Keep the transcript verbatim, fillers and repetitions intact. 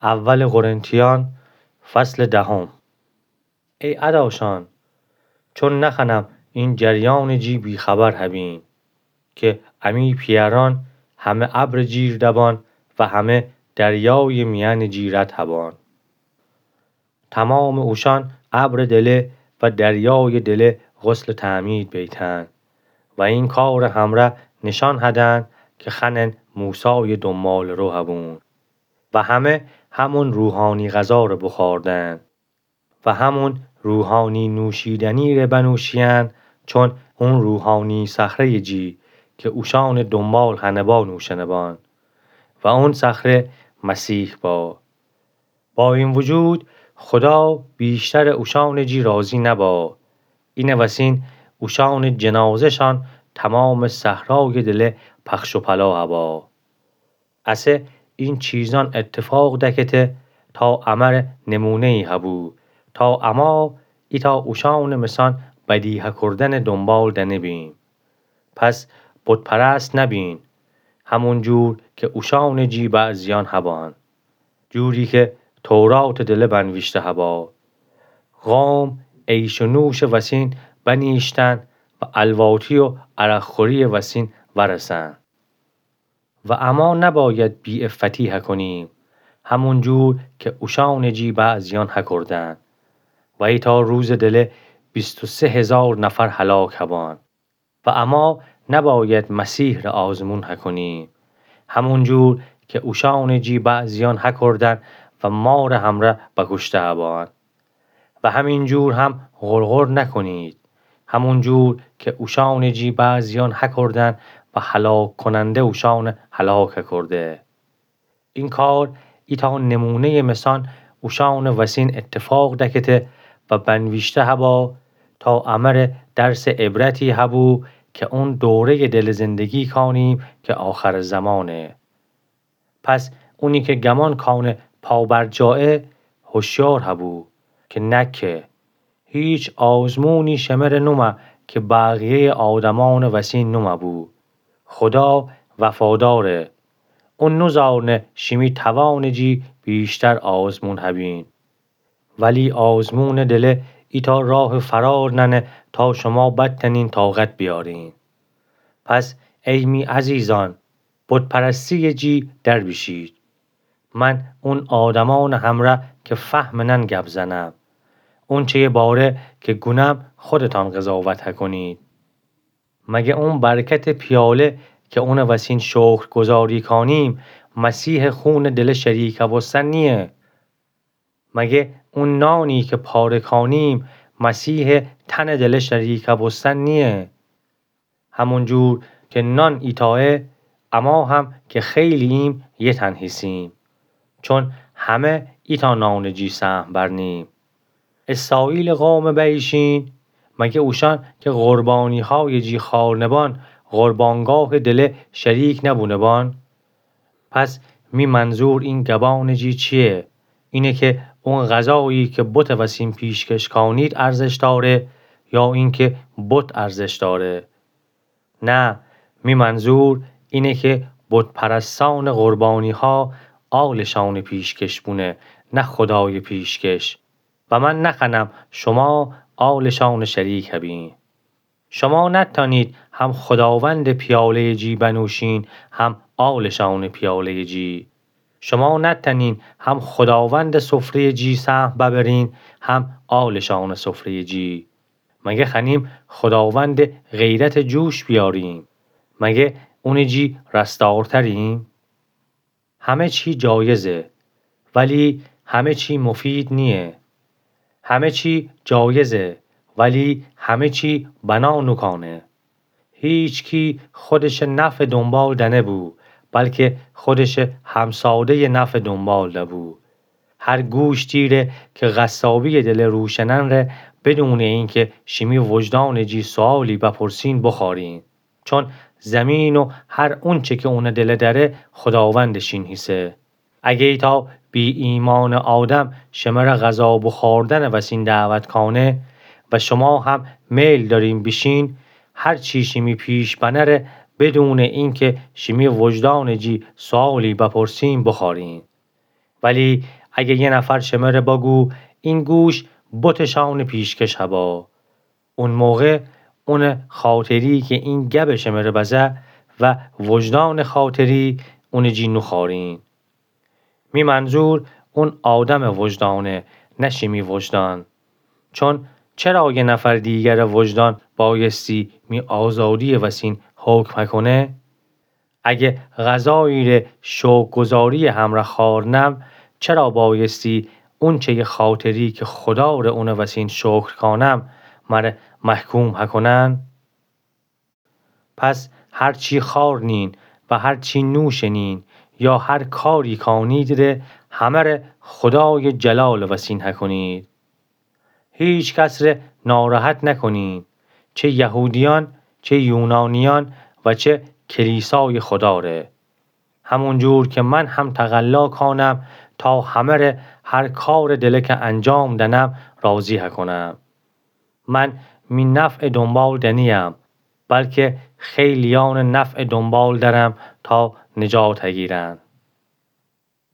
اول قرنتیان، فصل دهم. ای اداشان، چون نخوأنم این جریانٚ جی بی‌خبر هبین که امی پیأرأن همه ابرٚ جیر دبان و همه دریایٚ میأنٚ جی رد هبان. تومامٚ اوشأن ابرٚ دله و دریایٚ دله غسلٚ تعمید بیتن و این کارٚ همره نشأن هدن که خوأنن موسایٚ دونبالٚ رو هبون و همه همون روحانی غذا ره بوخوردن و همون روحانی نوشیدنی ره بنوشیین، چون اون روحانی صخره‌یٚ جی که اوشأنٚ دونبال هنه با نوشنه بان و اون صخره مسیح با. با این وجود، خدا بیشترٚ اوشأنٚ جی راضی نبا. اینٚ وسین اوشأنٚ جنازه‌شان تومامٚ صحرایٚ دله پخش و پلا هبا. اسه این چیزأن اتفاق دکته تا امره نمونه‌یی هبو، تا اما ایتأ اوشأنٚ مثأن بدیهه کردنٚ دونبال دنه‌بیم. پس بت‌پرست نبین، همون جور که اوشأنٚ جی بعضیأن هبان. جوری که توراتٚ دله بنویشته هبا: قوم عیش و نوشٚ وسین بنیشتن و الواتی و عرق‌خوری‌یٚ وسین ورسن. و اما نباید بی‌عفتی هکونیم، همون جور که اوشأنٚ جی بعضیأن هکردن. و ایتأ روزٚ دله بیست و سه هزار نفر هلاک هبان. و اما نباید مسیح ره آزمون هکونیم، همون جور که اوشأنٚ جی بعضیأن هکردن و مارٚ همره بکوشته هبان. و همین جور هم غرغر نکنید، همون جور که اوشأنٚ جی بعضیأن هکردن و هلاک‌کننده اوشأنه هلاک هکرده. این کار ایتأ نمونه‌یٚ مثأن اوشأنٚ وسین اتفاق دکته و بنویشته هبا تا امره درسٚ عبرتی هبو که اون دوره‌یٚ دله زندگی کانیم که آخرٚ زمانه. پس اونی که گمان کانه پابرجایه، هوشیار هبو که نکه. هیچ آزمونی شمره نومه که بقیه‌یٚ آدمأنٚ وسین نومه‌بو. خدا وفاداره. اون نوزانه شیمی توانٚ جی بیشتر آزمون هبین. ولی آزمونٚ دله ایتأ راه فرار نأنه تا شما بتأنین طاقت بیارین. پس ای می عزیزأن، بت‌پرستی‌یٚ جی در بیشید. من اون آدمأنٚ همره که فهم نأن گب زنم. اونچه‌یٚ باره که گونم خودتأن قضاوت هکنید. مگه اون برکتٚ پیاله که اونٚ وسین شکرگزاری کانیم، مسیحٚ خونٚ دله شریکه بوستن نییه؟ مگه اون نانی که پاره کانیم، مسیحٚ تنٚ دله شریکه بوستن نییه؟ همون جور که نان ایتایه، اما هم که خیلی‌ییم، یه تن هیسیم. چون همه ایتأ نانٚ جی سهم برنیم. اسرائیلٚ قومٚ بیشین، مگه اوشأن که قربانی‌هایٚ جی خوأرنه بان، قربانگاهٚ دله شریک نبونه بان؟ پس می منظور این گبانٚ جی چییه؟ اینه که اون غذایی که بتٚ وسین پیشکش کانید ارزش داره یا اینکه بت ارزش داره؟ نه، می منظور اینه که بت‌پرستأنٚ قربانی‌ها آلشأنٚ پیشکش بونه، نه خدایٚ پیشکش. و من نخوأنم شما آلشأنٚ شریک هبین. شما نتأنید هم خداوندٚ پیاله‌یٚ جی بنوشین، هم آلشأنٚ پیاله‌یٚ جی. شما نتأنین هم خداوندٚ سفره‌یٚ جی سهم ببرین، هم آلشأنٚ سفره‌یٚ جی. مگه خوأنیم خداوندٚ غیرت جوش بیاریم؟ مگه اونٚ جی رستارتریم؟ همه چی جایزه، ولی همه چی مفید نییه. همه چی جایزه، ولی همه چی بنا نوکانه. هیچکی خودشٚ نفعٚ دونبال دنه‌بو، بلکه خودشٚ همساده‌یٚ نفعٚ دونبال دبو. هر گوشتی ره که قصابی‌یٚ دله روشنن ره، بدونٚ اینکه شیمی وجدانٚ جی سؤالی بپرسین، بوخوأرین. چون زیمین و هر اونچه که اونٚ دله دأره، خداوندٚ شین هیسه. اگه ایتأ بی‌ایمأنٚ آدم شمره غذا بوخوردنٚ وسین دعوت کانه و شما هم میل دأرین بیشین، هر چی شیمی پیش بنه ره، بدونٚ اینکه شیمی وجدانٚ جی سؤالی بپرسین، بوخوأرین. ولی اگه یه نفر شمره بگو، این گوش بتٚ شأنٚ پیشکش هبا، اون موقع اونٚ خاطری که این گبٚ شمره بزه و وجدانٚ خاطری اونٚ جی نوخوأرین. می منظور اون آدمٚ وجدانه، نه شیمی وجدان. چون چرا یه نفر دیگرٚ وجدان بایستی می آزادیٚ وسین حکم هکونه؟ اگه غذایی ره شکرگزاریٚ همرأ خوأرنم، چرا بایستی اونچهیٚ خاطری که خدا ره اونٚ وسین شکر کانم، مره محکوم هکونن؟ پس هر چی خوأرنین و هر چی نوشنین یا هر کاری کانید ره، همه ره خدایٚ جلالٚ وسین هکونید. هیچ کس ره ناراحت نکنین، چه یهودیأن، چه یونانیأن و چه کلیسایٚ خدا ره. همون جور که من هم تقلا کانم تا همه ره هر کارٚ دلکه انجام دنم راضی هکونم. من می نفعٚ دونبال دنیم، بلکه خیلیأنٚ نفعٚ دونبال درم تا نجات هگیرن.